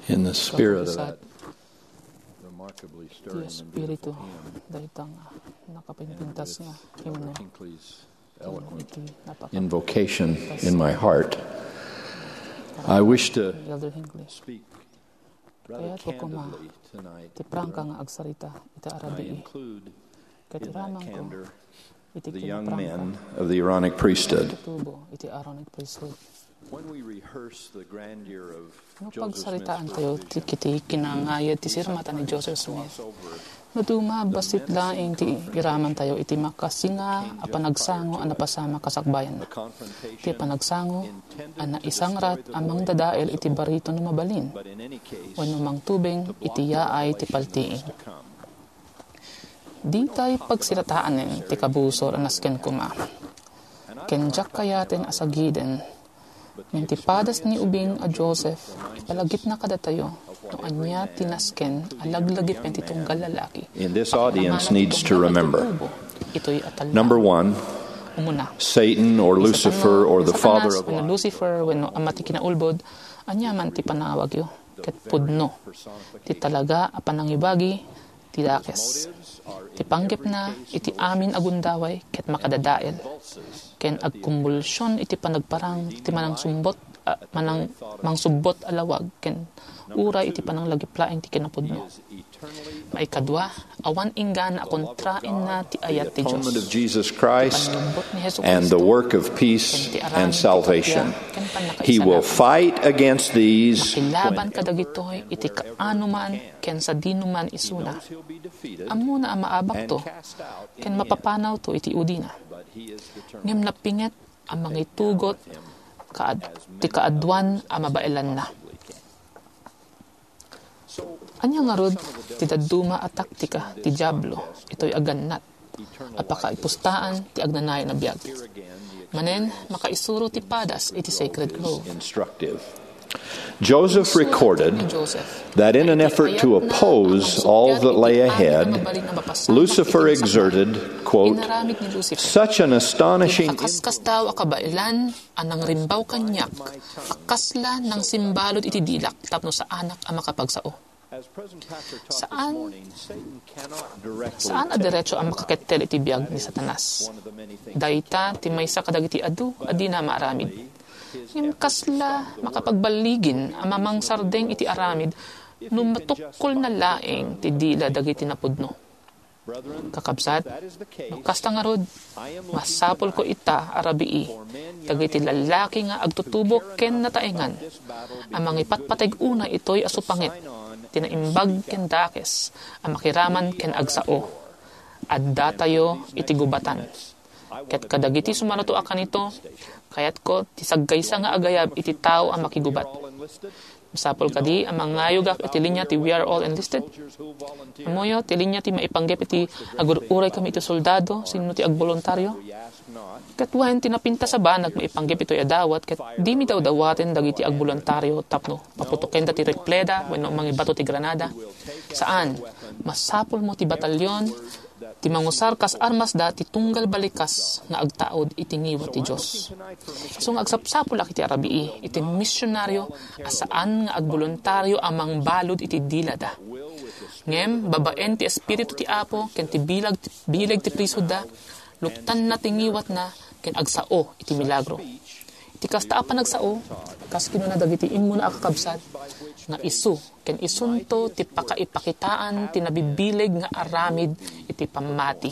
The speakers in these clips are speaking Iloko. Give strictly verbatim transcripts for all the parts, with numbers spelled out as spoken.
In the spirit of that remarkably stirring and beautiful hymn, dayta nga nakapimpintas nga himno, Hinckley's eloquent iti napaka- invocation in my heart, I wish to Elder Hinckley. Speak rather candidly tonight. Kayat ko koma ti prangka nga agsarita ita a rabii. I include ket in that candor iti the young men of the Aaronic priesthood. Tubo iti Aaronic priesthood. When we rehearse the grandeur of No pagsaritaattayo ti kiti kinangayad ti sirmata ni Joseph Smith, no duma, bassit laeng ti iramantayo iti makasinga a panagsango a napasamak a sakbayanna. Ti panagsango a naisangrat a mangdadael iti barito no mabalin, wenno mangtubeng iti yaay ti paltiing. Ditay pagsirataanen ti kabusor a nasken koma. Ken diak kayaten a sagiden, ngem ti padas ni ubing a Joseph, ipalagipna kadatayo no ania ti nasken a laglagip ken ti tunggal lalaki. In this audience needs to remember, itoy a talna. Number one, umuna, Satan or Lucifer or the father of lies. Lucifer wenno ama ti kinaulbod, aniaman ti panawagyo, ket pudno ti talaga a panangibagi ti dakes. Ti panggepna iti amin a gundaway ket makadadael, ken agkumbulsion iti panagparang ti manangsumbot a, manang-, mangsubbot a lawag ken uray iti pananglagip laeng ti kinapudno. Maikadua, awan inggana a kontraenna ti ayat ti Dios. Atonement of Jesus Christ and the work of peace and salvation. He will fight against these. Makilaban kadagitoy iti kaano man ken sadino man isuna. Ammona a maabakto ken mapapanawto iti udina. Ngem napinget a mangitugot kaad-, ti kaaduan a mabaelanna. Ania ngarud ti dadduma a taktika ti Diablo itoy a gannat a pakaipustaan ti agnanayon a biag? Manen, makaisuro ti padas iti Sacred Grove. Instructive. Joseph recorded that in an effort to oppose all that lay ahead, Lucifer exerted, quote, such an astonishing Ti kakaskasdaaw a kabaelan a nangrimbaw kaniak a kasla nangsimbalud iti dilak tapno saanak a makapagsao. Saan, saan a diretso a makakettel iti biag ni Satanas. Dayta ti maysa kadagiti adu a dina maaramid. Ngem kasla makapagballigin a mamangsardeng iti aramid no matukkolna laeng ti dila dagiti napudno. Kakabsat, no kasta ngarud, masapulko ita a rabii dagiti lallaki nga agtutubo ken nataengan a mangipatpateg unay itoy a supanget ti naimbag ken dakes a makiraman ken agsao. Addatayo iti gubatan. Ket kadagiti sumaruto a kanito, kayatko ti sagkaysa nga agayab iti tao a makigubat. Masapul kadi a mangayogak iti linia ti We Are All Enlisted? Ammoyo, ti linia ti maipanggep iti agur-uray kami iti soldado, sinno ti agboluntario? Ket wen, ti napintas a banag maipanggep itoy a dawat, ket dimi dawdawaten dagiti agboluntario tapno paputokenda ti rifleda wenno mangibato ti granada. Saan, masapulmo ti batalyon, ti mangusar kas armasda ti tunggal balikas nga agtaud iti ngiwat ti Dios. Isu nga agsapsapulak iti arabii iti misionario a saan nga agboluntario a mangbalud iti dilada. Ngem, babaen ti Espiritu ti Apo ken ti bilag, bileg ti priesthoodda, luktanna ti ngiwatna ken agsao iti milagro. Iti kasta a panagsao, kas kinuna dagiti immuna a kakabsat, nga isu ken isunto ti pakaipakitaan ti nabibileg nga aramid iti pammati.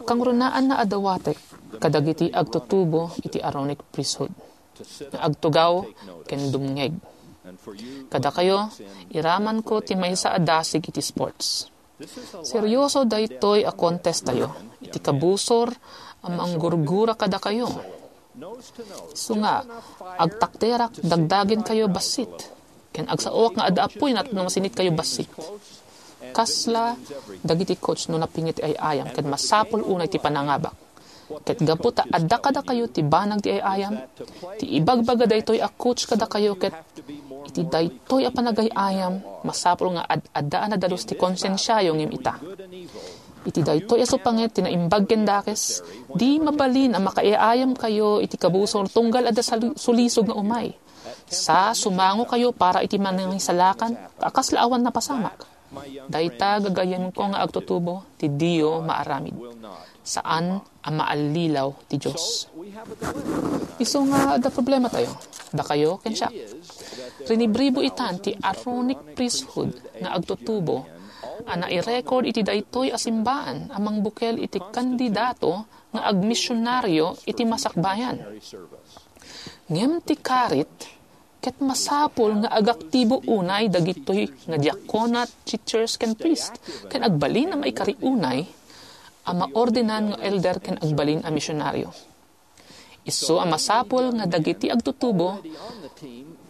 Kangrunaan nga adawatek kadagiti agtutubo iti Aaronic priesthood nga agtugaw ken dumngeg. Kadakayo, iramanko ti maysa a dasig iti sports. Serioso daytoy a contest tayo iti kabusor a manggurgura kadakayo. Isu nga, agtakderak dagdagenkayo bassit, ken agsaoak nga adda apuy no masinitkayo bassit. Kasla dagiti coach no napinget ti ay-ayam ket masapul unay ti panangabak. Ket gapu ta adda kadakayo ti banag ti ay-ayam, ti ibagbaga daytoy a coach kadakayo ket iti daytoy a panagay-ayam, masapul nga ad-adda a nadalus ti konsensiayo ngem ita. Iti daytoy a supanget ti naimbag ken dakes, di mabalin a makaay-ayamkayo iti kabusor tunggal adda sal-, sulisog nga umay. Sa sumangokayo para iti manangisalakan, ta kasla awan napasamak. Dayta gagayyemko nga agtutubo ti diyo maaramid. Saan a maallilaw ti Dios. Isu nga adda problematayo, dakayo ken siak. Rinibribo itan ti Aaronic priesthood nga agtutubo a nairecord iti daytoy a simbaan a mangbukel iti kandidato nga agmisionario iti masakbayan. Ngem ti karit, ket masapul nga agaktibo unay dagitoy nga diaconate, teachers, ken priest, ken agbalin a maikari unay a maordenan nga elder ken agbalin a misionario. Isu a masapul nga dagiti agtutubo,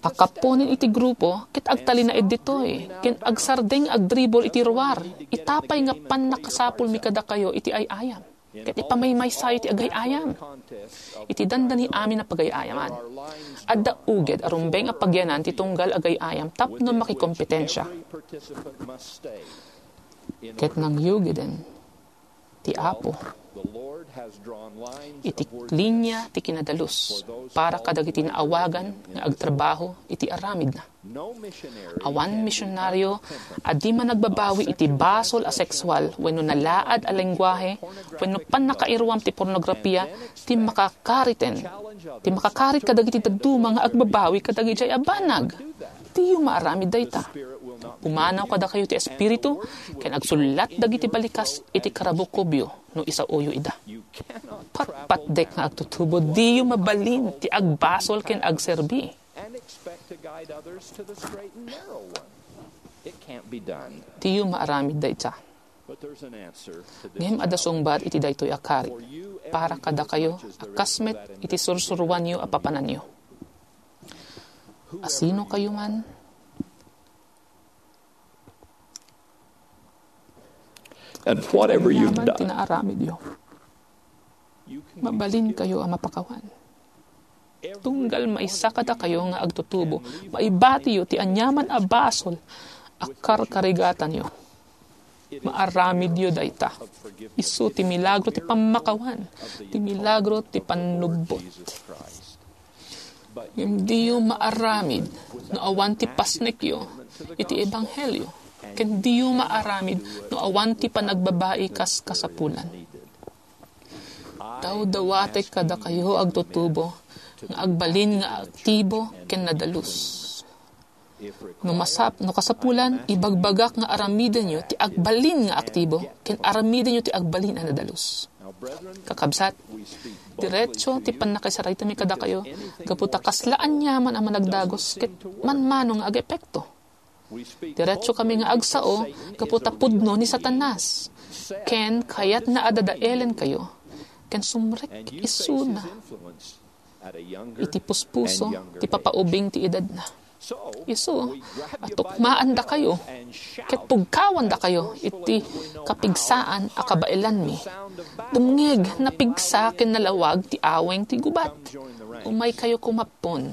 pakaponen iti grupo, ket agtalinaed ditoy, ken agsardeng agdribol iti ruar, ita pay nga pannakasapulmi kadakayo iti ay-ayam, ket ipamaymaysayo ti agay-ayam. Iti dandani amin a pagay-ayaman, adda uged a rumbeng a pagyanan ti tunggal agay-ayam tapno makikompetensia. Ket nangyugiden ti Apo iti linia ti kinadalus para kadagiti naawagan nga agtrabaho iti aramidna. Awan misionario a di managbabawi iti basol a sexual wenno nalaad a lenguahe wenno pannakairuam ti pornografia ti makakariten, ti makakarit kadagiti dadduma nga agbabawi kadagiti a banag. Diyo maaramid dayta. Pumanaw kadakayo ti Espiritu, ken agsullat dagiti balikas iti karabukobyo no isaoyo ida. Patpatdek nga agtutubo, diyo mabalin ti agbasol ken agserbi. And expect to guide others to the straight and narrow one. It can't be done. Diyo maaramid dayta. But there's an answer to this. Ngem adda sungbat iti daytoy a karit para kadakayo a kasmet iti sursuruanyo a papananyo. Asino kayo man? And whatever you've done, ti naaramidyo, mabalin kayo a mapakawan. Tunggal maysa kadakayo nga agtutubo, maibatiyo ti aniaman a basol a karkarigatanyo. Maaramidyo dayta. Isu ti milagro ti pammakawan, ti milagro ti pannubbot. Ngem diyo maaramid no awan ti pasnekyo iti ebanghelio, ken diyo maaramid no awan ti panagbabai kas kasapulan. Dawdawatek kadakayo agtutubo nga agbalin nga aktibo ken nadalus. No masap-, no kasapulan, ibagbagak nga aramidenyo ti agbalin nga aktibo ken aramidenyo ti agbalin a nadalus. Kakabsat, diretso ti pannakisaraytami kadakayo gapu ta kasla aniaman a managdagos ket manmano nga agepekto. Diretsokami nga agsao gapu ta pudno ni Satanas, ken kayatna a dadaelenkayo, ken sumrek isuna iti puspuso ti papaubing ti edadna. Isu, atukmaandakayo, ket pugkawandakayo iti kapigsaan a kabaelanmi. Dumngeg, napigsa ken nalawag ti aweng ti gubat. Umaykayo kumappon.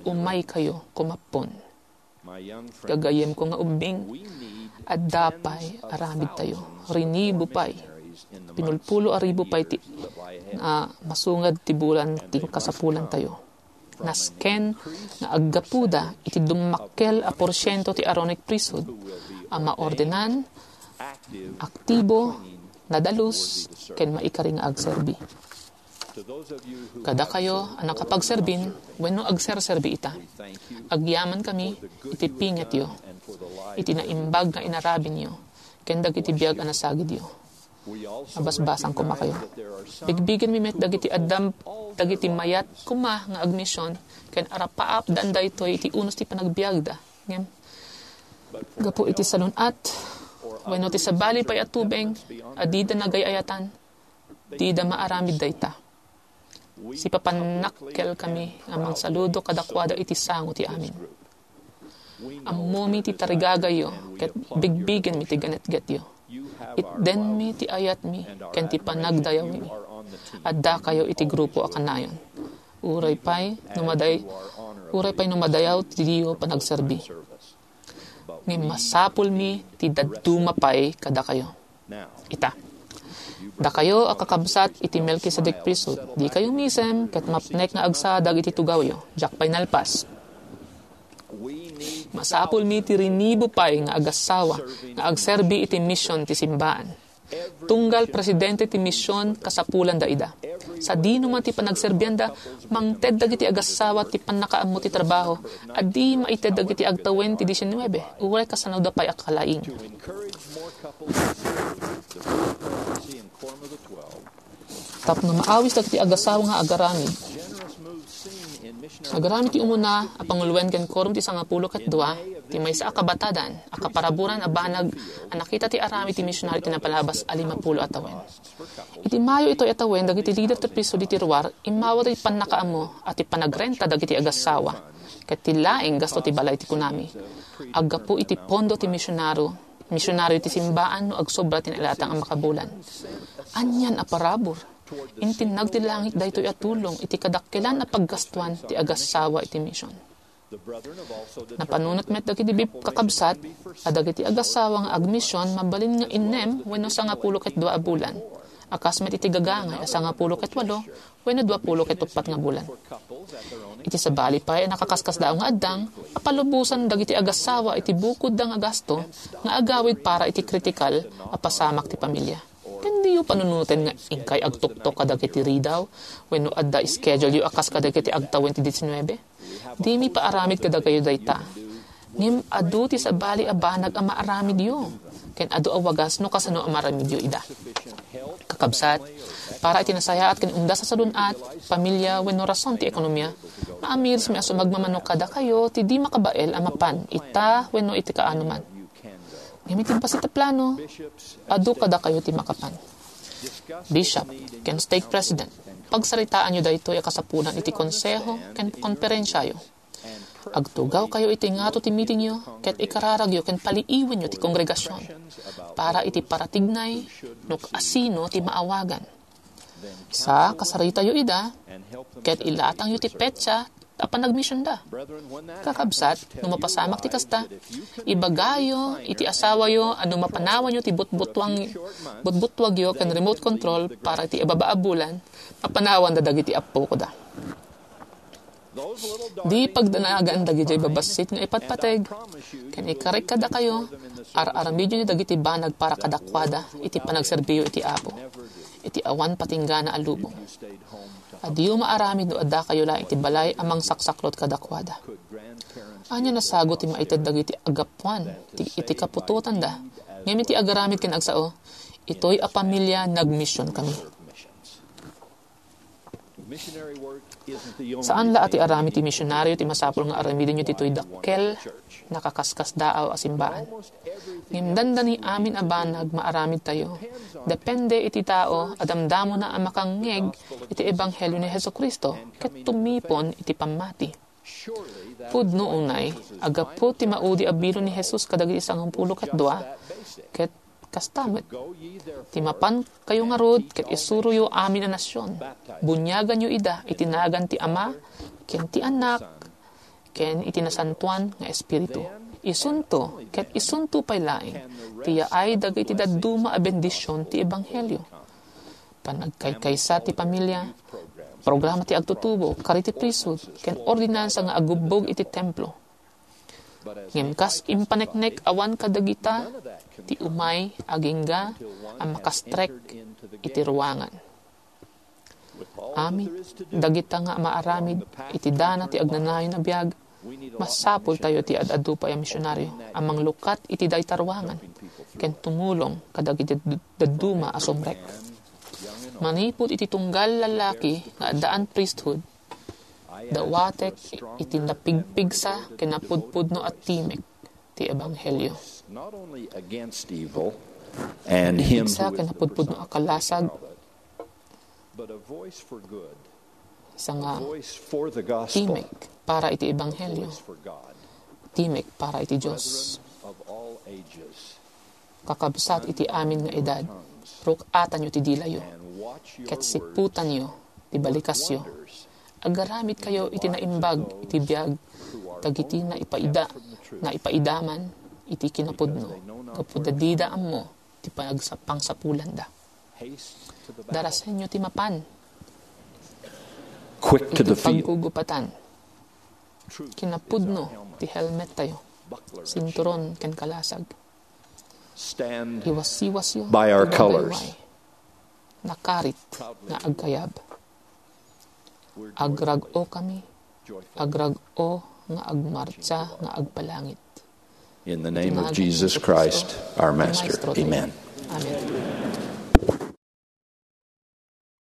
Umaykayo kumappon. Gagayyemko nga ubbing, adda pay aramidtayo. Rinibo pay. Pinulpulo a ribu pay ti, ah, masungad ti bulan ti kasapulantayo. Nasken nga aggapuda iti dummakkel a porsiento ti Aaronic priesthood a maordenan, aktibo, nadalus, ken maikari nga agserbi. Kadakayo a nakapagserbin wenno agserserbi ita, agyamankami iti pingetyo, iti naimbag nga inarabinyo, ken dagiti biag a nasagidyo. Mabasbasang koma kayo. Bigbigenmi met dagiti addam-, dagiti mayat koma nga agmision, ken arapaapdan daytoy iti unos ti panagbiagda. Ngem, gapu iti salun-at, wenno ti sabali pay a tubeng a dida nagay-ayatan, dida maaramid dayta. Sipapannakkelkami a mangsaludo kadakuada iti sango ti amin. Ammomi ti tarigagayyo ket bigbigenmi ti ganetgetyo. Itdenmi ti ayatmi ken ti panagdayawmi. Addakayo iti grupo a kanayon. Uray pay no maday-, uray pay no madayaw ti diyo panagserbi. Ngem masapulmi ti dadduma pay kadakayo. Ita, dakayo a kakabsat iti Melkisedek priesthood, dikayo misem ket mapnek nga agsadag iti tugawyo. Diak pay nalpas. Masapulmi ti rinibo pay nga agassawa nga agserbi iti mision ti simbaan. Tunggal presidente ti mision, kasapulanda ida. Sadino man ti panagserbianda, mangted dagiti agassawa ti pannakaammo ti trabaho a di maited dagiti agtawen ti diecinuebe, uray kasanoda pay a kalaing. Tapno maawis dagiti agassawa nga agaramid. Agaramid ti umuna a panguluen ken Quorum ti Sangapulo ket Dua, ti maysa a kabatadan a kaparaburan a banag a nakita ti aramid ti misionari ti napalabas a limapulo a tawen. Iti Mayo itoy a tawen, dagiti lider ti priesthood iti ruar immawat ti pannakaammo a ti panagrenta dagiti agassawa ket ti laeng gasto ti balay ti kunami. Aggapu iti pondo ti misionaro, misionario ti simbaan no agsobra ti nailatang a makabulan. Anian a parabur! Intinnag ti langit daytoy a tulong iti kadakkelan a paggastuan ti agassawa iti mision. Napanunot met dagiti bib-, kakabsat a dagiti agassawa nga agmision mabalin nga innem wenno sangapulo ket dua a bulan, a kas met iti gagangay a sangapulo ket walo wenno duapulo ket uppat nga bulan. Iti sabali pay a nakaskasdaaw nga addang, apalubosan dagiti agassawa iti bukodda nga gasto nga agawid para iti kritikal a pasamak ti pamilia. Ken diyo panunoten nga inkay agtuktok kadagiti ridaw wenno adda schedule-yo a kas kadagiti agtawen ti diecinuebe? Dimi paaramid kadakayo dayta. Ngem adu ti sabali a banag a maaramidyo, ken adu a wagas no kasano a maaramidyo ida. Kakabsat, para iti nasayaat ken umdas a sadun-at, pamilia wenno rason ti ekonomia, maamirismi a sumagmamano kadakayo ti di makabael a mapan ita wenno iti kaano man. Ngem iti bassit a plano, adu kadakayo ti makapan. Bishop ken stake president, pagsaritaanyo daytoy a kasapulan iti konseho ken konferensiayo. Agtugawkayo iti ngato ti mitingyo ket ikararagyo ken paliiwenyo ti kongregasion para iti paratignay no asino ti maawagan. Sa, kasaritayo ida ket ilatangyo ti petsa a panagmisionda. Kakabsat, no mapasamak ti kasta, ibagayo iti asawayo a no mapanawanyo ti butbutwang-, butbutwagyo ken remote control para iti ibaba a bulan, mapanawanda dagiti appokoda. Di pagdanagan dagidiay babassit nga ipatpateg, ken ikarik kadakayo, ar-aramidyo dagiti banag para kadakuada iti panagserbiyo iti Apo, iti awan patinggana a lubong. Adiyo maaramid no addakayo laeng iti balay a mangsaksaklot kadakuada. Ania nasago ti maited dagiti aggapuan ti, iti kaputotanda, ngem iti agaramid ken agsao, itoy a pamilia nagmisionkami. Saan la a ti aramid ti misionario ti masapul nga aramidenyo ditoy dakkel, nakaskasdaaw a simbaan. Ngem dandani amin a banag maaramidtayo, depende iti tao a damdamona a makangngeg iti ebanghelio ni Jesu-Cristo ket tumipon iti pammati. Pudno unay, aggapu ti maudi a bilo ni Jesus kadagiti sangapulo ket dua, ket kasta met, ti mapankayo ngarud ket isuroyo amin a nasion. Buniaganyo ida iti nagan ti Ama, ken ti Anak, ken iti Nasantoan nga Espiritu. Isunto, ket isunto pay laeng, ti yaay dagiti dadduma a bendision ti ebanghelio. Panagkaykaysa ti pamilia, programa ti agtutubo, kari ti priesthood, ken ordinansa nga agubbog iti templo. Ngem kas impaneknek awan kadagita ti umay agingga a makastrek iti ruangan. Amin dagita nga maaramid iti dana ti agnanayon a biag, masapultayo ti ad-adu pay a misionario a manglukat iti dayta ruangan ken tumulong kadagiti dad-, dadduma a sumrek. Manipud iti tunggal lallaki nga addaan priesthood, dawatek iti napigpigsa ken napudpudno a timek ti ebanghelio. Not only against evil and him Pigsa who ken is the napudpudno a kalasag, but a voice for good, isa nga voice for the gospel, timek para iti ebanghelio, for God, timek para iti Dios. Of all ages, Kakabsat iti amin nga edad, ruk-atanyo ti dilayo, and watch your ket siputanyo ti balikasyo. Agaramidkayo iti naimbag iti biag dagiti naipaida, naipaidaman iti kinapudno, gapu ta dida ammo ti pagsa-, pangsapulanda. haste to the battle. Darasenyo ti mapan Quick to iti the field. paggugupatan. Kinapudno ti helmet tayo, sinturon ken kalasag. Iwasiwasyo ti babayway. Nakarit nga agkayab. Agrag-o kami. Agrag-o nga agmartsa nga agpalangit. In the name of Jesus Christ, our Master. Amen. Amen.